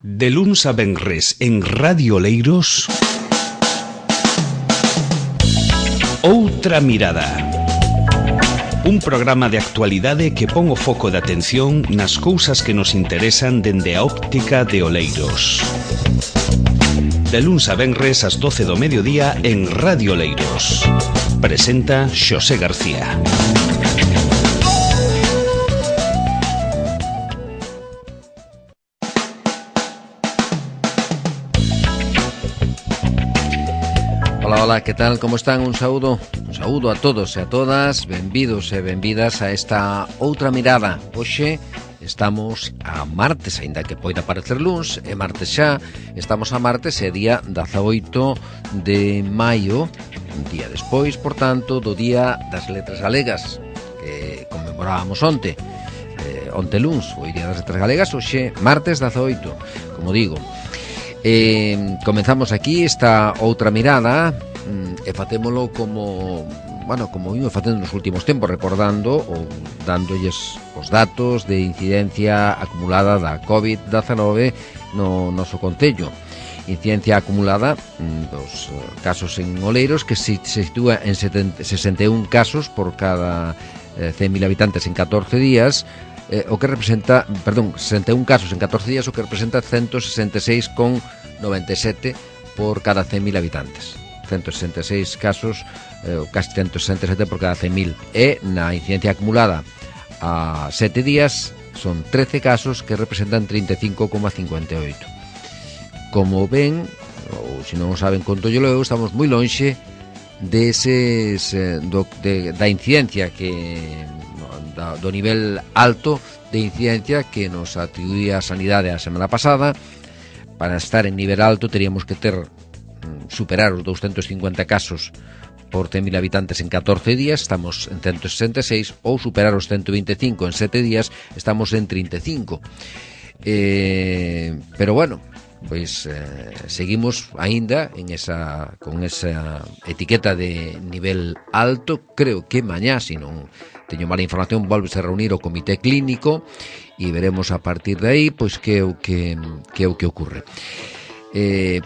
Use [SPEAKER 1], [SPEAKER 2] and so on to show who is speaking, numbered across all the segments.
[SPEAKER 1] De luns a venres en Radio Oleiros, Outra Mirada. Un programa de actualidade que pon o foco de atención nas cousas que nos interesan dende a óptica de Oleiros. De luns a venres ás 12 do mediodía en Radio Oleiros. Presenta Xosé García.
[SPEAKER 2] Hola, que tal? Como están? Un saúdo a todos e a todas. Benvidos e benvidas a esta Outra Mirada. Hoxe estamos a martes, aínda que poida parecer luns, é martes xa. Estamos a martes, é día 18 de maio, un día despois, por tanto, do Día das Letras Galegas, que conmemorábamos onte luns, o Día das Letras Galegas, hoxe martes 18, como digo. Comenzamos aquí esta Outra Mirada e facémolo como vimos facendo nos últimos tempos, recordando ou dándolles os datos de incidencia acumulada da COVID-19 no noso concello. Incidencia acumulada dos casos en Oleiros que se sitúa en 61 casos por cada 100.000 habitantes en 14 días, o que representa, 61 casos en 14 días, o que representa 166,97 por cada 100.000 habitantes. 166 casos, casi 167 por cada 100.000. E na incidencia acumulada a 7 días son 13 casos que representan 35,58. Como ven, ou se non o saben, conto yo logo, estamos moi lonxe deses da incidencia do nivel alto de incidencia que nos atribuía a Sanidade a semana pasada. Para estar en nivel alto teríamos que superar os 250 casos por 100.000 habitantes en 14 días, estamos en 166, ou superar os 125 en 7 días, estamos en 35. Pero bueno, pois seguimos aínda con esa etiqueta de nivel alto. Creo que mañá, se non teño mala información, volves a reunir o comité clínico e veremos a partir de aí pois que é o que ocurre.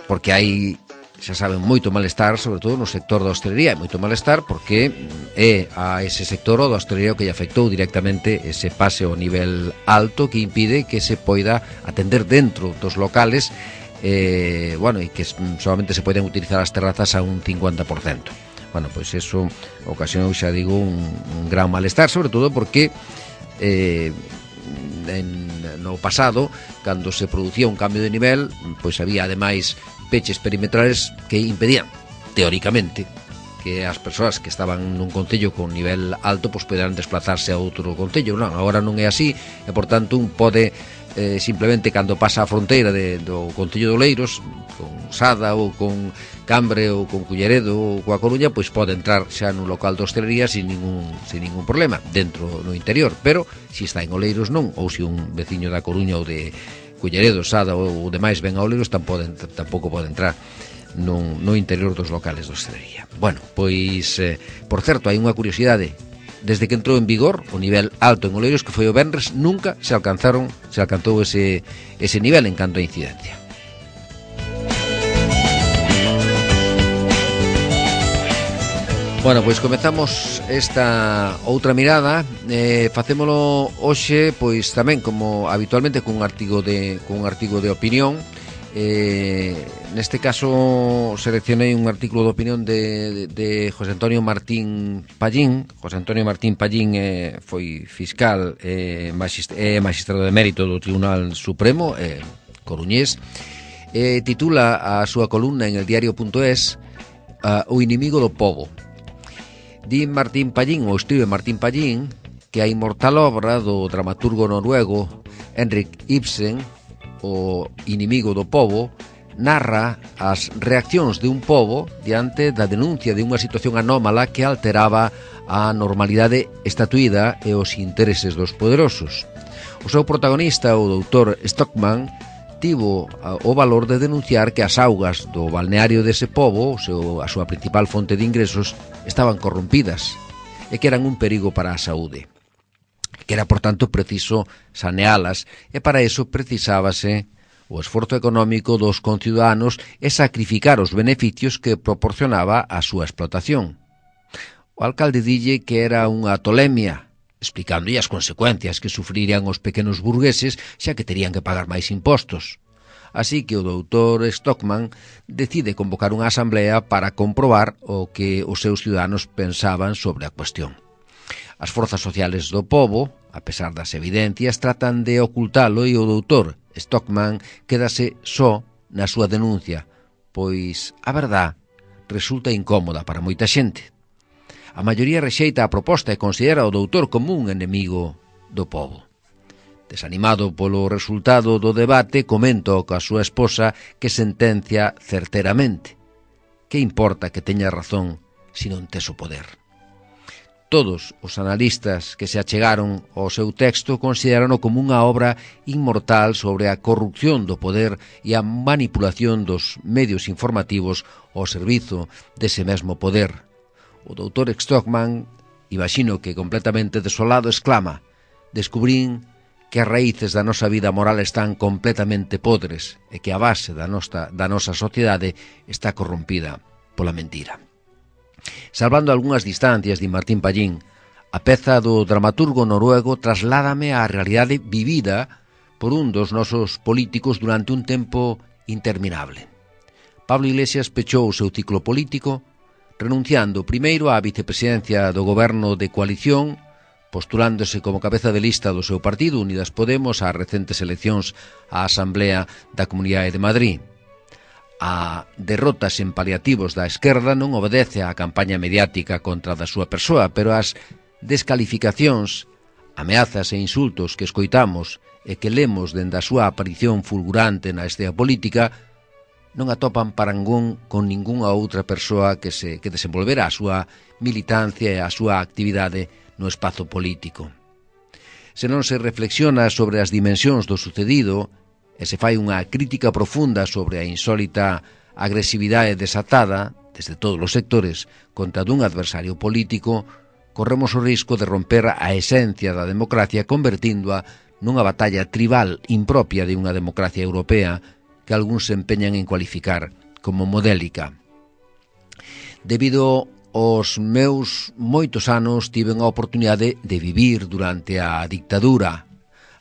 [SPEAKER 2] Porque hai, xa saben, moito malestar, sobre todo no sector da hostelería, moito malestar porque é a ese sector o da hostelería que lle afectou directamente ese pase ao nivel alto que impide que se poida atender dentro dos locales e que solamente se poden utilizar as terrazas a un 50%. Bueno, pois eso ocasionou, xa digo, un gran malestar, sobre todo porque no pasado, cando se producía un cambio de nivel, pois había ademais peches perimetrales que impedían, teóricamente, que as persoas que estaban nun concello con nivel alto pois poderan desplazarse a outro concello. Non, agora non é así e, por tanto, un pode simplemente, cando pasa a fronteira do concello de Oleiros, con Sada ou con Cambre ou con Culleredo ou coa Coruña, pois pode entrar xa nun local de hostelería sin ningún problema, dentro no interior. Pero, se está en Oleiros non, ou se un veciño da Coruña ou de Culleredo, Sada ou demais ven a Oleiros, tampouco pode entrar no interior dos locales de hostelería. Bueno, pois, por certo, hai unha curiosidade. Desde que entrou en vigor o nivel alto en Oleiros, que foi o venres, nunca se alcanzou ese nivel en canto a incidencia. Bueno, pois comezamos esta Outra Mirada. Facémolo hoxe, pois tamén como habitualmente cun artigo de opinión. Neste caso seleccionei un artículo de opinión de José Antonio Martín Pallín. José Antonio Martín Pallín foi fiscal e magistrado de mérito do Tribunal Supremo coruñés. Titula a súa columna en el diario.es O inimigo do pobo. Di Martín Pallín, ou escribe Martín Pallín, que a inmortal obra do dramaturgo noruego Henrik Ibsen, O inimigo do pobo, narra as reaccións de un pobo diante da denuncia de unha situación anómala que alteraba a normalidade estatuída e os intereses dos poderosos. O seu protagonista, o doutor Stockman, tivo o valor de denunciar que as augas do balneario dese pobo, a súa principal fonte de ingresos, estaban corrompidas e que eran un perigo para a saúde, que era, por tanto, preciso sanealas, e para eso precisábase o esforzo económico dos conciudadanos e sacrificar os beneficios que proporcionaba a súa explotación. O alcalde dille que era unha tolemia, explicándolle as consecuencias que sufrirían os pequenos burgueses xa que terían que pagar máis impostos. Así que o doutor Stockman decide convocar unha asamblea para comprobar o que os seus ciudadanos pensaban sobre a cuestión. As forzas sociales do pobo, a pesar das evidencias, tratan de ocultalo e o doutor Stockman quédase só na súa denuncia, pois a verdad resulta incómoda para moita xente. A maioría rexeita a proposta e considera o doutor como un enemigo do pobo. Desanimado polo resultado do debate, comenta coa súa esposa que sentencia certeramente. Que importa que teña razón se non tes o poder? Todos os analistas que se achegaron ao seu texto considerano como unha obra inmortal sobre a corrupción do poder e a manipulación dos medios informativos ao servizo dese mesmo poder. O doutor Stockman, imagino que completamente desolado, exclama: «Descubrín que as raíces da nosa vida moral están completamente podres e que a base da nosa sociedade está corrompida pola mentira». Salvando algunhas distancias, di Martín Pallín, a peza do dramaturgo noruego trasládame á realidade vivida por un dos nosos políticos durante un tempo interminable. Pablo Iglesias pechou o seu ciclo político renunciando primeiro á vicepresidencia do goberno de coalición, postulándose como cabeza de lista do seu partido Unidas Podemos ás recentes eleccións á Asamblea da Comunidade de Madrid. A derrotas en paliativos da esquerda non obedece á campaña mediática contra da súa persoa, pero as descalificacións, ameazas e insultos que escoitamos e que lemos dende a súa aparición fulgurante na escena política non atopan parangón con ningunha outra persoa que desenvolvera a súa militancia e a súa actividade no espazo político. Se non se reflexiona sobre as dimensións do sucedido e se fai unha crítica profunda sobre a insólita agresividade desatada, desde todos os sectores, contra dun adversario político, corremos o risco de romper a esencia da democracia convertíndoa nunha batalla tribal impropia de unha democracia europea que algúns se empeñan en cualificar como modélica. Debido aos meus moitos anos tiven a oportunidade de vivir durante a dictadura,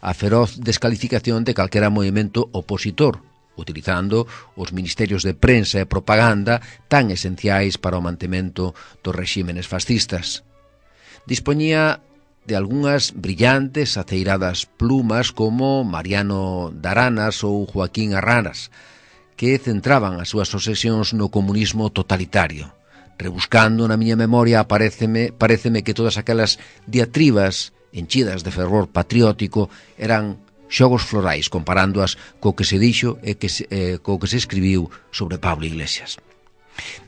[SPEAKER 2] a feroz descalificación de calquera movimento opositor, utilizando os ministerios de prensa e propaganda tan esenciais para o mantemento dos rexímenes fascistas. Dispoñía de algunhas brillantes, aceiradas plumas como Mariano Daranas ou Joaquín Arranas, que centraban as súas obsesións no comunismo totalitario. Rebuscando na miña memoria paréceme que todas aquelas diatribas enchidas de fervor patriótico eran xogos florais comparándoas co que se dixo e co que se escribiu sobre Pablo Iglesias.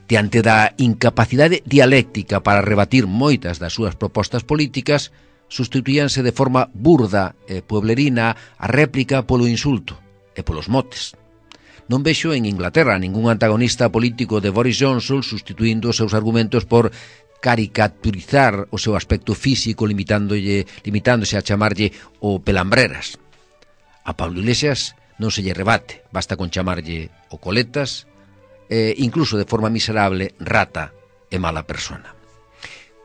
[SPEAKER 2] Diante da incapacidade dialéctica para rebatir moitas das súas propostas políticas, sustituíanse de forma burda e pueblerina a réplica polo insulto e polos motes. Non vexo en Inglaterra ningún antagonista político de Boris Johnson sustituindo os seus argumentos por caricaturizar o seu aspecto físico limitándose a chamarlle o pelambreras. A Pablo Iglesias non se lle rebate, basta con chamarlle o coletas e incluso de forma miserable rata e mala persona.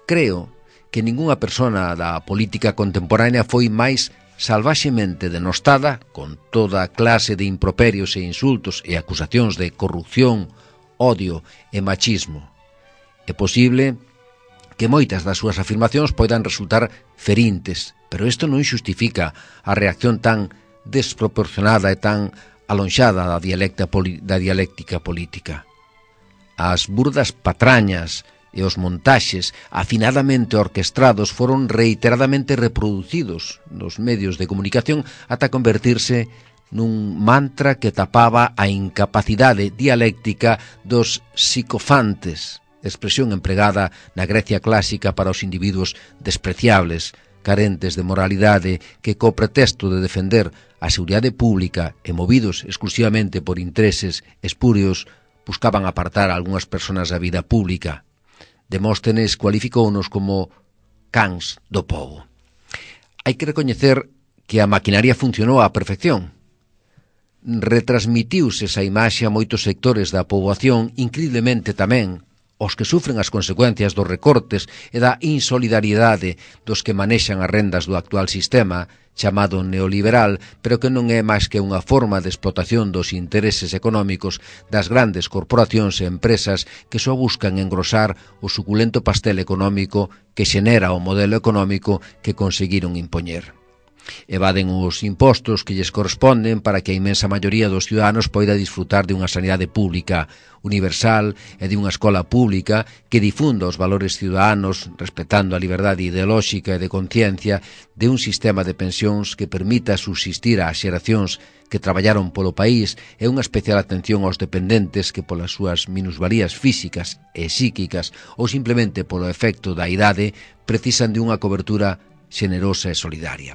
[SPEAKER 2] Creo que ningunha persona da política contemporánea foi máis salvaxemente denostada con toda clase de improperios e insultos e acusacións de corrupción, odio e machismo. É posible que moitas das súas afirmacións poidan resultar ferintes, pero isto non xustifica a reacción tan desproporcionada e tan alonxada da dialéctica política. As burdas patrañas e os montaxes afinadamente orquestrados foron reiteradamente reproducidos nos medios de comunicación ata convertirse nun mantra que tapaba a incapacidade dialéctica dos psicofantes, expresión empregada na Grecia clásica para os individuos despreciables, carentes de moralidade, que co pretexto de defender a seguridade pública e movidos exclusivamente por intereses espurios, buscaban apartar a algunhas persoas da vida pública. Demóstenes cualificounos como cans do pobo. Hai que recoñecer que a maquinaria funcionou á perfección. retransmitiuse esa imaxe a moitos sectores da poboación, increíblemente tamén os que sufren as consecuencias dos recortes e da insolidariedade dos que manexan as rendas do actual sistema, chamado neoliberal, pero que non é máis que unha forma de explotación dos intereses económicos das grandes corporacións e empresas que só buscan engrosar o suculento pastel económico que xenera o modelo económico que conseguiron impoñer. Evaden os impostos que lles corresponden para que a inmensa maioría dos ciudadanos poida disfrutar de unha sanidade pública universal e de unha escola pública que difunda os valores ciudadanos respetando a liberdade ideolóxica e de conciencia, de un sistema de pensións que permita subsistir ás xeracións que traballaron polo país e unha especial atención aos dependentes que polas súas minusvalías físicas e psíquicas ou simplemente polo efecto da idade precisan de unha cobertura xenerosa e solidaria.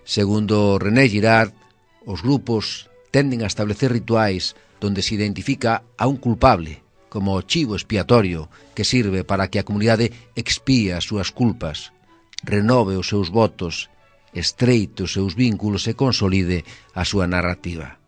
[SPEAKER 2] Segundo René Girard, os grupos tenden a establecer rituais donde se identifica a un culpable como o chivo expiatorio que sirve para que a comunidade expíe as súas culpas, renove os seus votos, estreite os seus vínculos e consolide a súa narrativa.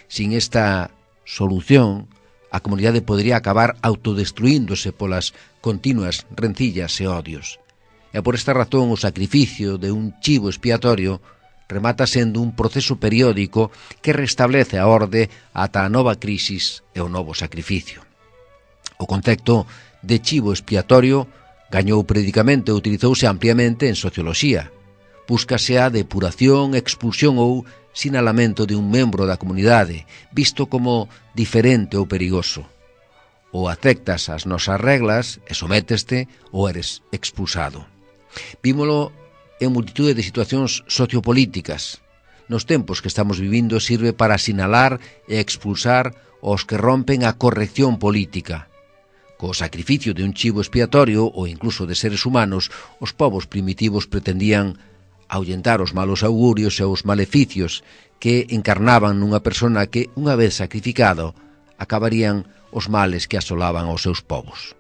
[SPEAKER 2] Sin esta solución, a comunidade podría acabar autodestruíndose polas continuas rencillas e odios. E por esta razón o sacrificio de un chivo expiatorio remata sendo un proceso periódico que restablece a orde ata a nova crisis e o novo sacrificio. O concepto de chivo expiatorio gañou predicamente e utilizouse ampliamente en socioloxía. Búscase a depuración, expulsión ou sinalamento de un membro da comunidade, visto como diferente ou perigoso. Ou aceptas as nosas reglas e sométeste ou eres expulsado. Vímolo en multitude de situacións sociopolíticas. Nos tempos que estamos vivindo sirve para sinalar e expulsar os que rompen a corrección política. Co sacrificio de un chivo expiatorio ou incluso de seres humanos, os povos primitivos pretendían ahuyentar os malos augurios e os maleficios que encarnaban nunha persona que, unha vez sacrificado, acabarían os males que asolaban aos seus povos.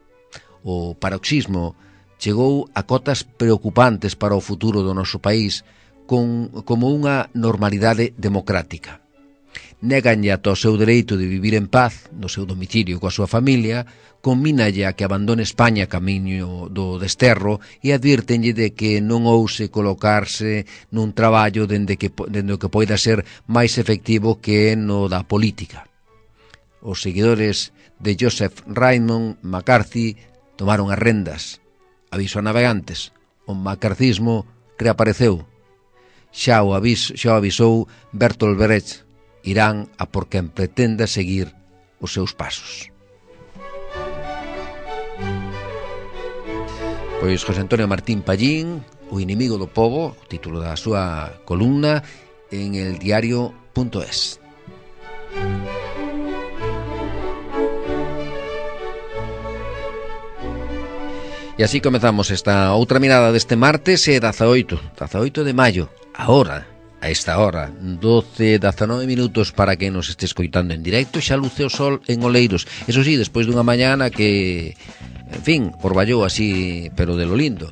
[SPEAKER 2] O paroxismo chegou a cotas preocupantes para o futuro do noso país como unha normalidade democrática. Néganlle ata o seu dereito de vivir en paz no seu domicilio coa súa familia, conmínalle a que abandone España camiño do desterro e advírtenlle de que non ouse colocarse nun traballo dende o que poida ser máis efectivo que no da política. Os seguidores de Joseph Raymond McCarthy tomaron as rendas. Aviso a navegantes, o macarcismo reapareceu. Xa o avisou Bertolt Brecht, irán a por quen pretenda seguir os seus pasos. Pois José Antonio Martín Pallín, O inimigo do pobo, o título da súa columna en eldiario.es. E así comezamos esta outra mirada deste martes 18 de maio, a esta hora, 12:19 minutos para que nos este escoitando en directo, xa luce o sol en Oleiros. Eso sí, despois dunha mañana que, en fin, orballou así, pero de lo lindo.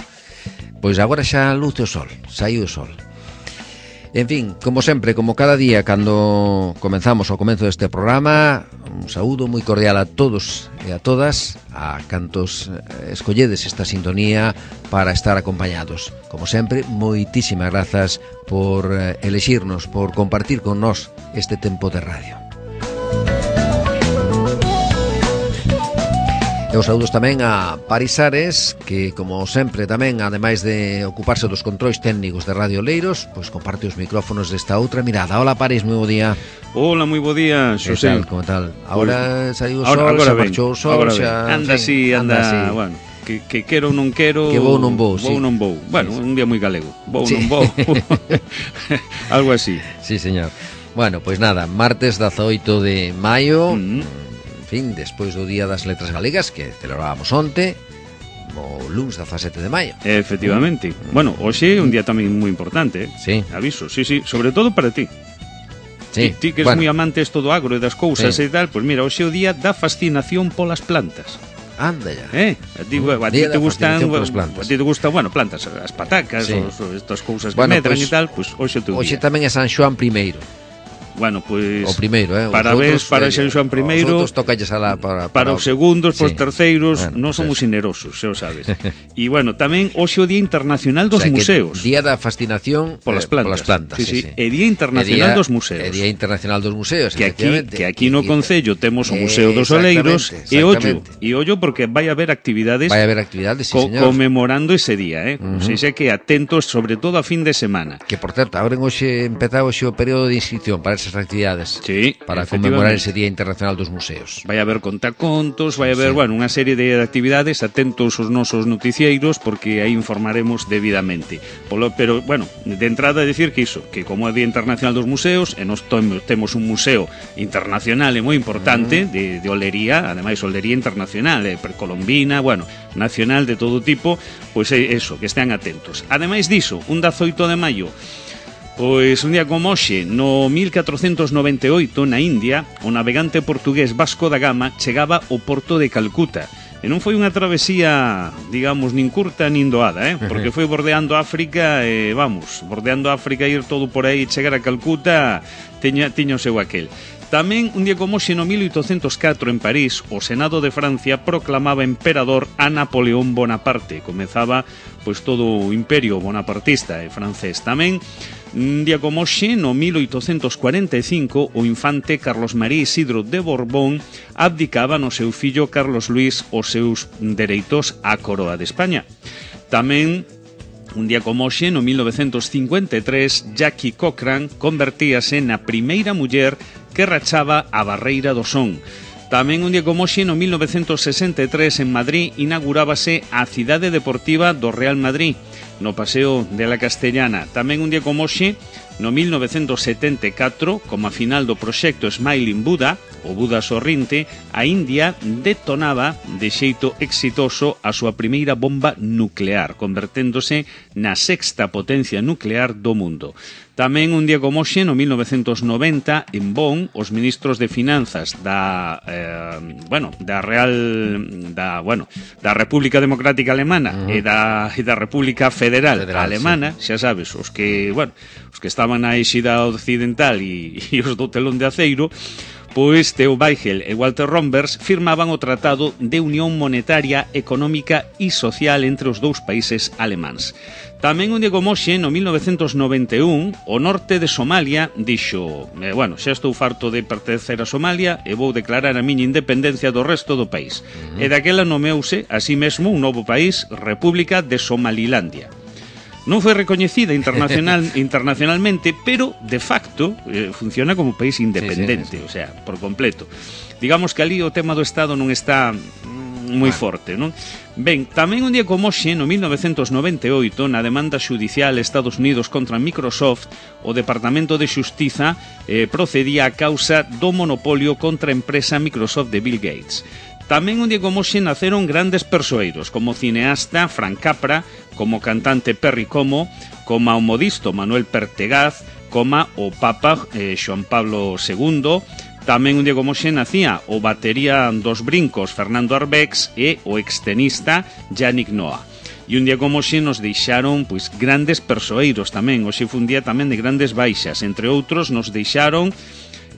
[SPEAKER 2] Pois agora xa luce o sol, saiu o sol. En fin, como sempre, como cada día, cando comenzamos ao comezo deste programa, un saúdo moi cordial a todos e a todas, a cantos escolledes esta sintonía para estar acompañados. Como sempre, moitísimas grazas por elexirnos, por compartir con nós este tempo de radio. E os saúdos tamén a Paris Ares, que, como sempre, tamén, ademais de ocuparse dos controis técnicos de Radio Oleiros, pois comparte os micrófonos desta outra mirada. Hola, Paris, moi bo día.
[SPEAKER 3] Hola, moi bo día, Xosé.
[SPEAKER 2] Como tal? Agora saiu o sol, xa marchou o sol, xa...
[SPEAKER 3] Anda así, bueno, que quero ou non quero...
[SPEAKER 2] Que vou non vou, sí.
[SPEAKER 3] Vou non vou. Bueno, un día moi galego. Vou non vou. Algo así.
[SPEAKER 2] Sí, señor. Bueno, pois nada, martes 18 de maio... fin, despois do Día das Letras Galegas que celebrábamos onte, o luns 17 de maio.
[SPEAKER 3] Efectivamente. Bueno, hoxe é un día tamén moi importante,
[SPEAKER 2] Sí.
[SPEAKER 3] Aviso, sí, sobre todo para ti.
[SPEAKER 2] Sí.
[SPEAKER 3] Ti que eres moi amante esto do agro e das cousas e tal, pois mira, hoxe é o día da fascinación polas plantas.
[SPEAKER 2] Anda ya.
[SPEAKER 3] A ti te gustan, bueno, plantas, as patacas, estas cousas que medran e tal, pois hoxe é o teu día.
[SPEAKER 2] Hoxe tamén é San Xoán I.
[SPEAKER 3] Bueno, pois
[SPEAKER 2] o primeiro,
[SPEAKER 3] parabéns para San Xoan I.
[SPEAKER 2] Os outros tocalles
[SPEAKER 3] para os segundos,
[SPEAKER 2] sí.
[SPEAKER 3] Os terceiros,
[SPEAKER 2] bueno,
[SPEAKER 3] non somos generosos, xa o sabes. E bueno, tamén hoxe o Día Internacional dos Museos.
[SPEAKER 2] Día da fascinación
[SPEAKER 3] polas plantas.
[SPEAKER 2] Sí.
[SPEAKER 3] E Día Internacional dos Museos.
[SPEAKER 2] E Día Internacional dos Museos,
[SPEAKER 3] que aquí no Concello temos o Museo dos Oleiros e ollo porque vai haber actividades
[SPEAKER 2] sí, señor,
[SPEAKER 3] conmemorando ese día, O sea, que atentos sobre todo a fin de semana.
[SPEAKER 2] Que por certo, empezaba hoxe o período de inscripción para esas actividades,
[SPEAKER 3] sí,
[SPEAKER 2] para conmemorar ese Día Internacional dos Museos.
[SPEAKER 3] Vai haber contacontos, vai haber, bueno, unha serie de actividades, atentos os nosos noticieiros porque aí informaremos debidamente. Pero, bueno, de entrada decir que iso, que como é Día Internacional dos Museos, e nos temos un museo internacional e moi importante de olería, ademais olería internacional, precolombina, bueno, nacional de todo tipo, pois é eso, que estén atentos. Ademais diso, un 18 de maio, pois un día como hoxe, no 1498, na India, o navegante portugués Vasco da Gama chegaba ao porto de Calcuta. E non foi unha travesía, digamos, nin curta nin doada, porque foi bordeando África e, bordeando África, ir todo por aí, chegar a Calcuta, tiña o seu aquel. Tamén, un día como hoxe, no 1804, en París, o Senado de Francia proclamaba emperador a Napoleón Bonaparte. Comezaba, pois, todo o imperio bonapartista francés. Tamén, un día como hoxe, no 1845, o infante Carlos María Isidro de Borbón abdicaba no seu fillo Carlos Luis os seus dereitos á coroa de España. Tamén, un día como hoxe, no 1953, Jackie Cochran convertíase na primeira muller que rachaba a barreira do son. Tamén un día como hoxe, no 1963, en Madrid, inaugurábase a cidade deportiva do Real Madrid, no Paseo de la Castellana. Tamén un día como hoxe, no 1974, como a final do proxecto Smiling Buddha, o Buda sorrinte, a India detonaba de xeito exitoso a súa primeira bomba nuclear, converténdose na sexta potencia nuclear do mundo. Tamén un día como hoxe, no 1990, en Bonn, os ministros de Finanzas da República Democrática Alemana e da República Federal Alemana, xa sabes, os que estaban na Éxida Occidental e os do telón de aceiro, pois Theo Weigel e Walter Rombers firmaban o Tratado de Unión Monetaria, Económica e Social entre os dous países alemáns. Tamén un día como hoxe, no 1991, o norte de Somalia dixo, xa estou farto de pertencer a Somalia e vou declarar a miña independencia do resto do país. E daquela nomeouse, así mesmo, un novo país, República de Somalilandia. Non foi recoñecida internacionalmente, pero de facto funciona como país independente, o sea, por completo. Digamos que ali o tema do Estado non está moi forte, non? Ben, tamén un día como hoxe, no 1998, na demanda xudicial Estados Unidos contra Microsoft, o Departamento de Xustiza procedía a causa do monopolio contra a empresa Microsoft de Bill Gates. Tamén un día como hoxe naceron grandes persoeiros, como o cineasta Frank Capra, como o cantante Perry Como o modisto Manuel Pertegaz, como o Papa Xoan Pablo II. Tamén un día como hoxe nacía o batería dos brincos Fernando Arbex e o extenista Yannick Noah. E un día como hoxe nos deixaron grandes persoeiros tamén. Hoxe foi un día tamén de grandes baixas. Entre outros nos deixaron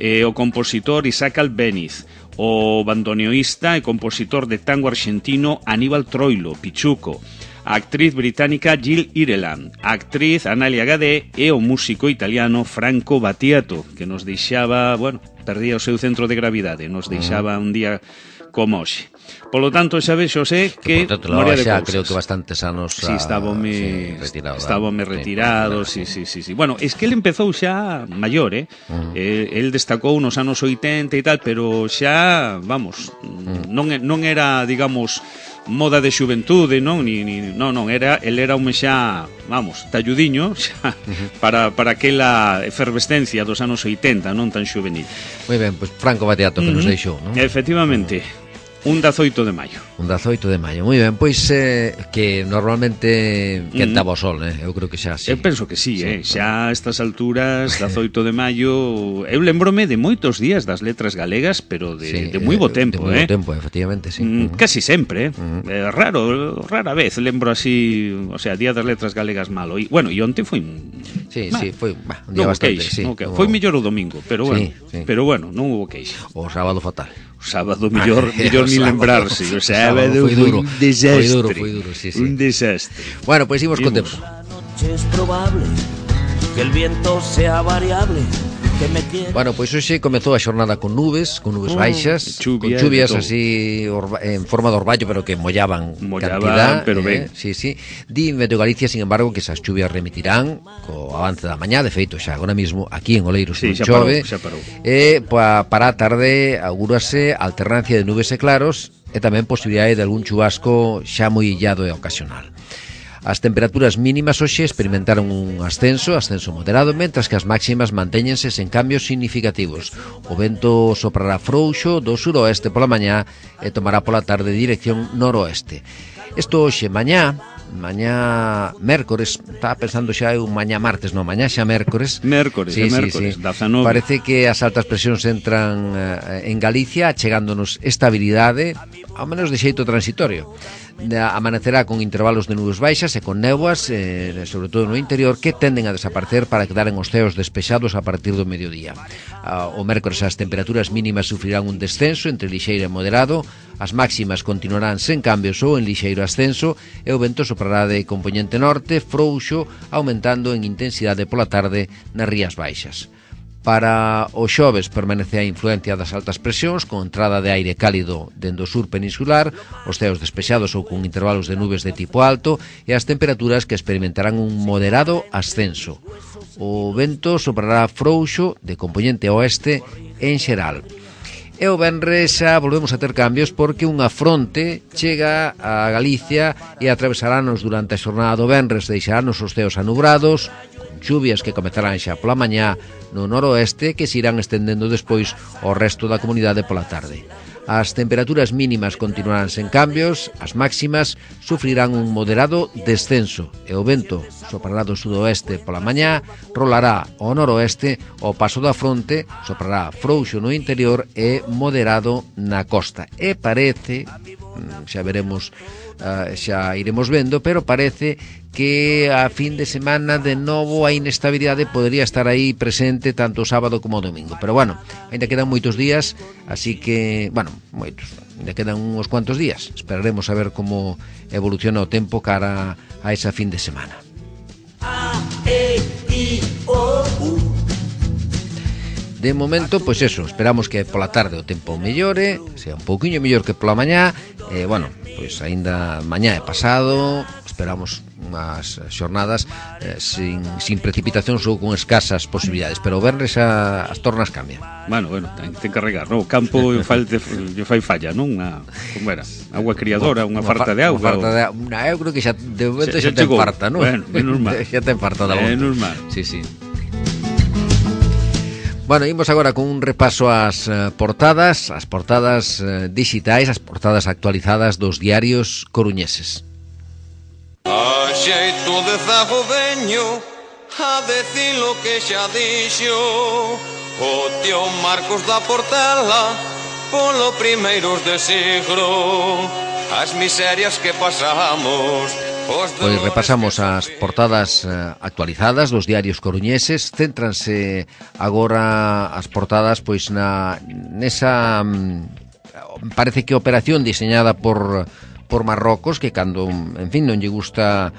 [SPEAKER 3] o compositor Isaac Albéniz, o bandoneoísta e compositor de tango argentino Aníbal Troilo, Pichuco, a actriz británica Jill Ireland, a actriz Analia Gadé e o músico italiano Franco Battiato, que nos deixaba, perdía o seu centro de gravidade, nos deixaba un día como hoxe. Polo tanto, xa vexo que moria de cousas.
[SPEAKER 2] Creo que bastantes anos
[SPEAKER 3] estábame retirado, sí. Bueno, es que ele empezou xa maior, el destacou nos anos 80 e tal, pero xa, non era, digamos, moda de xuventude, non, el era un xa, talludiño xa, para aquela efervescencia dos anos 80, non tan xuvenil.
[SPEAKER 2] Moi ben, pois Franco Battiato que nos deixou, non?
[SPEAKER 3] Efectivamente. Un 18 de maio.
[SPEAKER 2] Un 18 de maio, moi ben, pois que normalmente quentaba o sol, eu creo que xa sí.
[SPEAKER 3] Eu penso que sí, xa a estas alturas, 18 de maio, eu lembrome de moitos días das letras galegas, pero de moi bo tempo,
[SPEAKER 2] de moi bo tempo, efectivamente, sí.
[SPEAKER 3] Casi sempre, rara vez lembro así, o sea, día das letras galegas malo. E bueno, e onte foi
[SPEAKER 2] Sí, foi un día bastante, sí.
[SPEAKER 3] Foi mellor o domingo, pero bueno, pero bueno, non hubo queixa.
[SPEAKER 2] O sábado fatal.
[SPEAKER 3] O sábado mellor ni lembrarse. O sábado foi un desastre.
[SPEAKER 2] Foi duro, sí.
[SPEAKER 3] Un desastre.
[SPEAKER 2] Bueno, pois imos con tempo.
[SPEAKER 4] Es probable que el viento sea variable.
[SPEAKER 2] Bueno, pois hoxe comezou a xornada con nubes baixas, con chuvias así en forma de orballo, pero que mollaban cantidad,
[SPEAKER 3] pero ben.
[SPEAKER 2] Sí. Di Meteo Galicia, sin embargo, que esas chuvias remitirán co avance da mañá, de feito xa agora mismo aquí en Oleiros non chove. E para a tarde augúrase alternancia de nubes e claros e tamén posibilidade de algún chubasco xa moi illado e ocasional. As temperaturas mínimas hoxe experimentaron un ascenso moderado, mentras que as máximas mantéñense sen cambios significativos. O vento soprará frouxo do suroeste pola mañá e tomará pola tarde dirección noroeste. Isto hoxe, mañá mércores, estaba pensando xa un mañá martes, non, mañá xa mércores.
[SPEAKER 3] Mércores, 19.
[SPEAKER 2] Parece que as altas presións entran en Galicia, chegándonos estabilidade, ao menos de xeito transitorio. Amanecerá con intervalos de nubes baixas e con néboas, sobre todo no interior, que tenden a desaparecer para quedar en os ceos despexados a partir do mediodía. O mércores as temperaturas mínimas sufrirán un descenso entre lixeiro e moderado, as máximas continuarán sen cambios ou en lixeiro ascenso e o vento soprará de compoñente norte, frouxo, aumentando en intensidade pola tarde nas rías baixas. Para o xoves permanece a influencia das altas presións con entrada de aire cálido dende o sur peninsular, os ceos despexados ou con intervalos de nubes de tipo alto e as temperaturas que experimentarán un moderado ascenso. O vento soprará frouxo de compoñente oeste en xeral. E o venres xa volvemos a ter cambios porque unha fronte chega a Galicia e atravesarános durante a xornada do venres, deixarános os ceos anubrados, chuvias que comezarán xa pola mañá no noroeste que se irán estendendo despois ao resto da comunidade pola tarde. As temperaturas mínimas continuarán sen cambios, as máximas sufrirán un moderado descenso e o vento soprará do sudoeste pola mañá, rolará ao noroeste, ao paso da fronte soprará frouxo no interior e moderado na costa. E parece, xa veremos, xa iremos vendo, pero parece que a fin de semana de novo a inestabilidade podría estar aí presente tanto o sábado como o domingo, pero bueno, ainda quedan moitos días, así que, bueno, moitos, ainda quedan uns cuantos días, esperaremos a ver como evoluciona o tempo cara a esa fin de semana. De momento, pois eso, esperamos que pola tarde o tempo mellore, sea un pouquiño mellor que pola mañá, bueno, pois aínda mañá é pasado, esperamos unhas xornadas sin precipitacións ou con escasas posibilidades, pero o venres as tornas cambian.
[SPEAKER 3] Bueno, ten que regar, non? O campo fai falla, non? Como era? Agua criadora, unha farta de auga.
[SPEAKER 2] Eu creo que xa de momento xa ten farta, non?
[SPEAKER 3] Bueno, é normal.
[SPEAKER 2] Xa ten farta da volta.
[SPEAKER 3] É normal.
[SPEAKER 2] Sí. Bueno, imos agora con un repaso ás portadas dixitais, as portadas actualizadas dos diarios coruñeses.
[SPEAKER 5] A xeito de zagodeño, a decir lo que xa dixo o tío Marcos da Portela polo primeiros de siglo, as miserias que pasamos.
[SPEAKER 2] Pois repasamos as portadas actualizadas dos diarios coruñeses. Céntranse agora as portadas pois nesa parece que operación diseñada por Marrocos, que cando, en fin, non lle gusta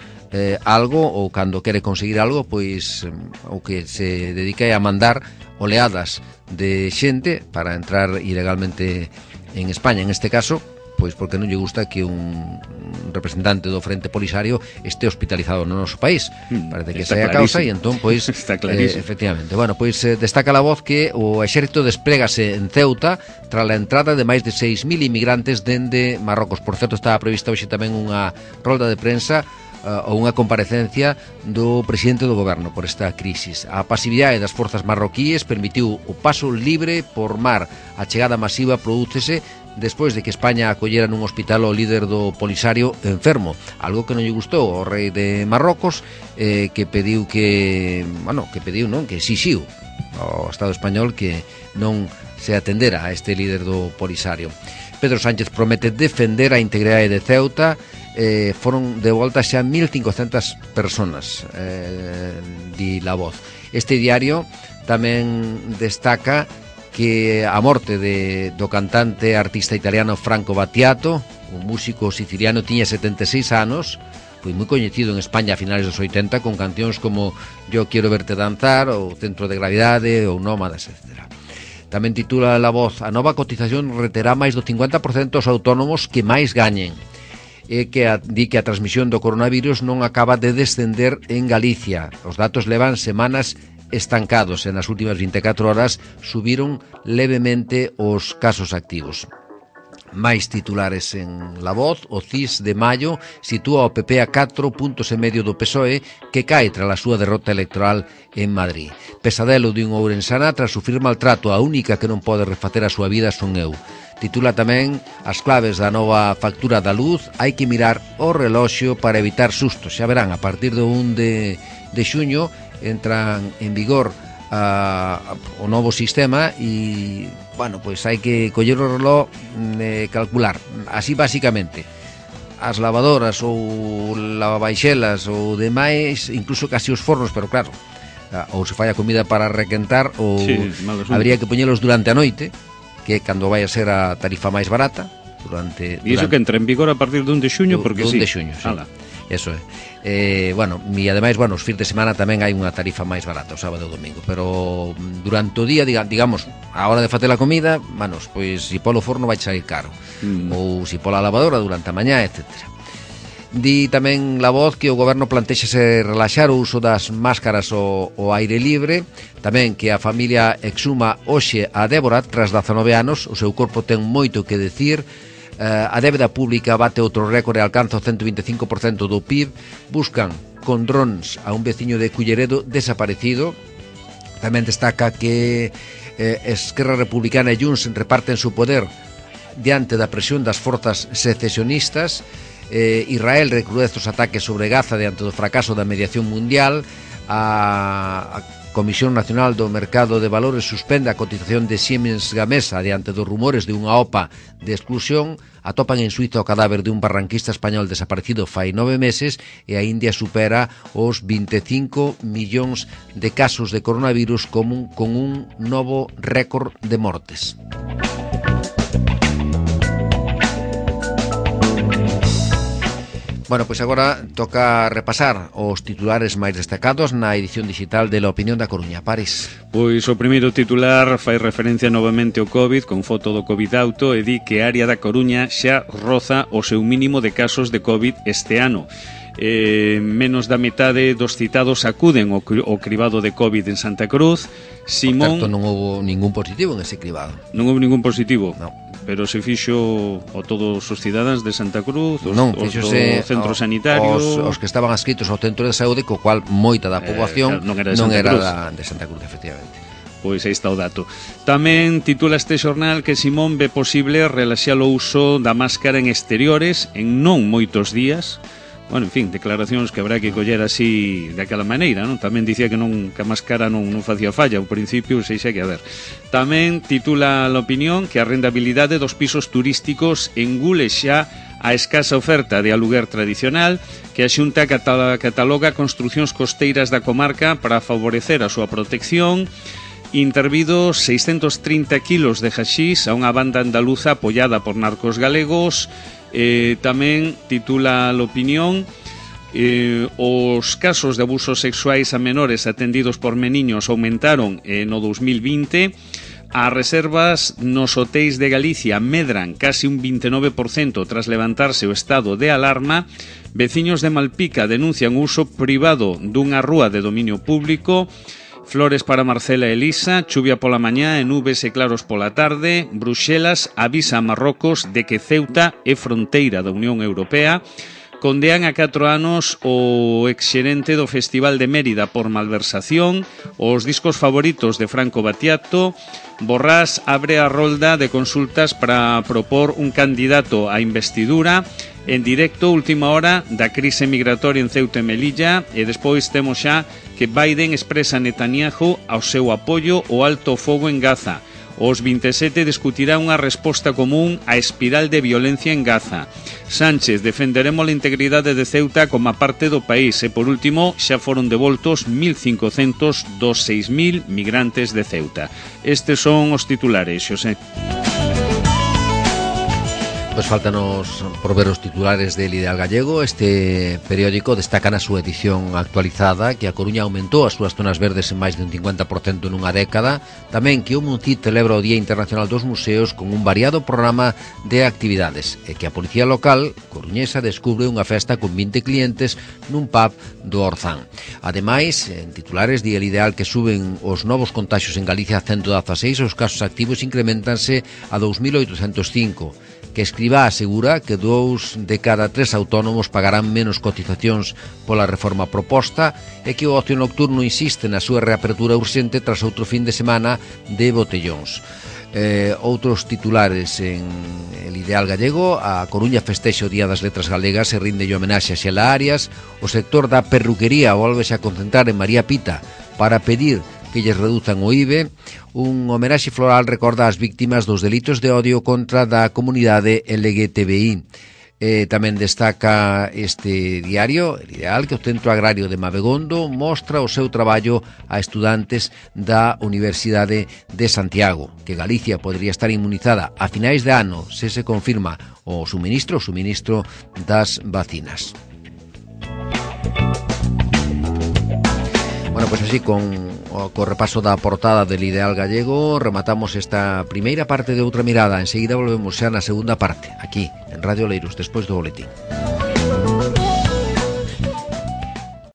[SPEAKER 2] algo ou cando quere conseguir algo, pois o que se dedica é a mandar oleadas de xente para entrar ilegalmente en España, en este caso pois porque non lle gusta que un representante do Frente Polisario este hospitalizado no noso país. Parece que esa é a causa e entón, pois, efectivamente. Bueno, pois destaca a voz que o exército desplégase en Ceuta tras a entrada de máis de 6.000 inmigrantes dende Marrocos. Por certo, estaba prevista hoxe tamén unha rolda de prensa ou unha comparecencia do presidente do goberno por esta crisis. A pasividade das forzas marroquíes permitiu o paso libre por mar. A chegada masiva prodúcese despois de que España acollera nun hospital ao líder do Polisario enfermo, algo que non lle gustou ao rei de Marrocos, que pediu que exixiu ao Estado español que non se atendera a este líder do Polisario. Pedro Sánchez promete defender a integridade de Ceuta. Foron de volta xa 1.500 personas, di La Voz. Este diario tamén destaca que a morte do cantante artista italiano Franco Battiato, un músico siciliano, tiña 76 anos, foi moi coñecido en España a finales dos 80 con cancións como Yo quiero verte danzar, ou Centro de Gravidade, ou Nómadas, etc. Tamén titula La Voz: a nova cotización reterá máis do 50% aos autónomos que máis gañen. E que di que a transmisión do coronavirus non acaba de descender en Galicia. Os datos levan semanas estancados e nas últimas 24 horas subiron levemente os casos activos. Máis titulares en La Voz. O CIS de maio sitúa o PP a 4,5 puntos do PSOE, que cae tras a súa derrota electoral en Madrid. Pesadelo de un ourensana tras sufrir maltrato. A única que non pode refacer a súa vida son eu. Titula tamén as claves da nova factura da luz. Hai que mirar o reloxo para evitar sustos. Xa verán, a partir do 1 de xuño entran en vigor o novo sistema e, bueno, pois hai que coller o reloj e calcular. Así, basicamente, as lavadoras ou lavabaixelas ou demais, incluso casi os fornos, pero claro, ou se fai a comida para requentar ou habría que poñelos durante a noite, que é cando vai a ser a tarifa máis barata.
[SPEAKER 3] E iso que entra en vigor a partir do 1 de xuño, porque sí.
[SPEAKER 2] 1 de xuño, sí. Eso é. E ademais, os fins de semana tamén hai unha tarifa máis barata, o sábado e o domingo, pero durante o día, digamos, a hora de facer a comida, pois se polo forno vai sair caro, ou se pola lavadora durante a mañá, etc. Di tamén La Voz que o goberno plantexase relaxar o uso das máscaras ao aire libre, tamén que a familia exhuma hoxe a Débora tras 19 anos, o seu corpo ten moito que decir. A débeda pública bate outro récord e alcanza o 125% do PIB. Buscan con drons a un veciño de Culleredo desaparecido. Tamén destaca que Esquerra Republicana e Junts reparten su poder diante da presión das forzas secesionistas. Israel recrudece os ataques sobre Gaza diante do fracaso da mediación mundial. A Comisión Nacional do Mercado de Valores suspende a cotización de Siemens Gamesa diante dos rumores de unha OPA de exclusión. Atopan en Suiza o cadáver de un barranquista español desaparecido fai 9 meses e a India supera os 25 millóns de casos de coronavirus con un novo récord de mortes. Bueno, pois agora toca repasar os titulares máis destacados na edición digital de La Opinión da Coruña. París.
[SPEAKER 3] Pois o primeiro titular fai referencia novamente ao COVID con foto do COVID auto e di que a área da Coruña xa roza o seu mínimo de casos de COVID este ano. Menos da metade dos citados acuden ao cribado de COVID en Santa Cruz. Simón...
[SPEAKER 2] Por tanto, non houve ningún positivo en ese cribado.
[SPEAKER 3] Non houve ningún positivo?
[SPEAKER 2] Non.
[SPEAKER 3] Pero se fixo a todos os cidadáns de Santa Cruz, os do centro sanitario...
[SPEAKER 2] Os que estaban adscritos ao centro de saúde, co cual moita da poboación non era de Santa Cruz, efectivamente.
[SPEAKER 3] Pois aí está o dato. Tamén titula este xornal que Simón ve posible relaxar o uso da máscara en exteriores en non moitos días. Bueno, en fin, declaracións que habrá que coller así daquela maneira, non? Tamén dicía que a máscara non facía falla ao principio, sei xa que a ver. Tamén titula La Opinión que a rentabilidade dos pisos turísticos engule xa a escasa oferta de aluguer tradicional, que a Xunta cataloga construcións costeiras da comarca para favorecer a súa protección. Intervidos 630 kilos de haxís a unha banda andaluza apoiada por narcos galegos. Tamén titula La Opinión os casos de abusos sexuais a menores atendidos por meniños aumentaron no 2020. As reservas nos hotéis de Galicia medran casi un 29% tras levantarse o estado de alarma. Veciños de Malpica denuncian o uso privado dunha rúa de dominio público. Flores para Marcela e Elisa, chuvia pola mañá e nubes e claros pola tarde. Bruxelas avisa a Marrocos de que Ceuta é fronteira da Unión Europea. Condean a 4 anos o exxerente do Festival de Mérida por malversación, os discos favoritos de Franco Battiato. Borrás abre a rolda de consultas para propor un candidato á investidura. En directo, última hora da crise migratoria en Ceuta e Melilla, e despois temos xa que Biden expresa a Netanyahu ao seu apoio ao alto fogo en Gaza. Os 27 discutirá unha resposta común á espiral de violencia en Gaza. Sánchez, defenderemos a integridade de Ceuta como parte do país. E, por último, xa foron devoltos 1.500 dos 6.000 migrantes de Ceuta. Estes son os titulares, Xosé.
[SPEAKER 2] Pois faltanos por ver os titulares del Ideal Gallego. Este periódico destaca na súa edición actualizada que a Coruña aumentou as súas zonas verdes en máis de un 50% nunha década. Tamén que o Muncid celebra o Día Internacional dos Museos con un variado programa de actividades e que a Policía Local coruñesa descubre unha festa con 20 clientes nun pub do Orzán. Ademais, en titulares di el Ideal que suben os novos contaxios en Galicia a 116, os casos activos incrementanse a 2.805. Que Escrivá asegura que 2 de cada 3 autónomos pagarán menos cotizacións pola reforma proposta e que o ocio nocturno insiste na súa reapertura urxente tras outro fin de semana de botellóns. Outros titulares en el Ideal Gallego: a Coruña festexa o Día das Letras Galegas e rinde homenaxe a Xela Arias. O sector da perruquería volvese a concentrar en María Pita para pedir que lles reduzan o IVE. Un homenaxe floral recorda as víctimas dos delitos de odio contra da comunidade LGTBI. Tamén destaca este diario, el Ideal, que o Centro Agrario de Mabegondo mostra o seu traballo a estudantes da Universidade de Santiago, que Galicia podría estar inmunizada a finais de ano se se confirma o suministro das vacinas. Bueno, pois así con repaso da portada del Ideal Gallego rematamos esta primeira parte de Outra Mirada. Enseguida volvemos xa na segunda parte, aquí en Radio Oleiros, despois do boletín.